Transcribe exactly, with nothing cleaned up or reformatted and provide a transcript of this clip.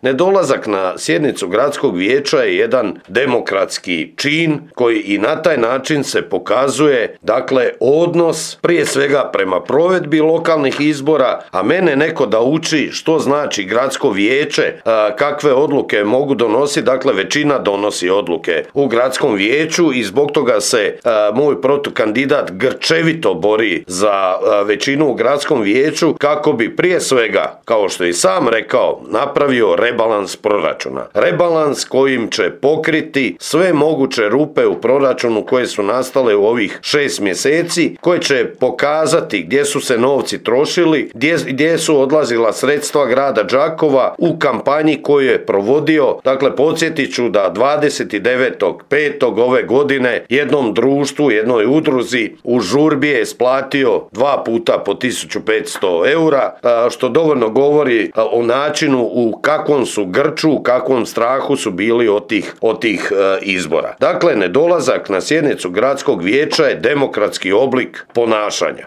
Nedolazak na sjednicu gradskog vijeća je jedan demokratski čin koji i na taj način se pokazuje, dakle, odnos prije svega prema provedbi lokalnih izbora, a mene neko da uči što znači gradsko vijeće, kakve odluke mogu donositi, dakle većina donosi odluke u gradskom vijeću i zbog toga se moj protukandidat grčevito bori za većinu u gradskom vijeću kako bi prije svega, kao što je i sam rekao, napravio rebalans proračuna. Rebalans kojim će pokriti sve moguće rupe u proračunu koje su nastale u ovih šest mjeseci, koje će pokazati gdje su se novci trošili, gdje, gdje su odlazila sredstva grada Đakova u kampanji koju je provodio. Dakle, podsjetit ću da dvadeset devetog petog ove godine jednom društvu, jednoj udruzi u žurbi je isplatio dva puta po tisuću petsto eura, što dovoljno govori o načinu u kakvom su grču, u kakvom strahu su bili od tih, od tih izbora. Dakle, nedolazak na sjednicu gradskog vijeća je demokratski oblik ponašanja.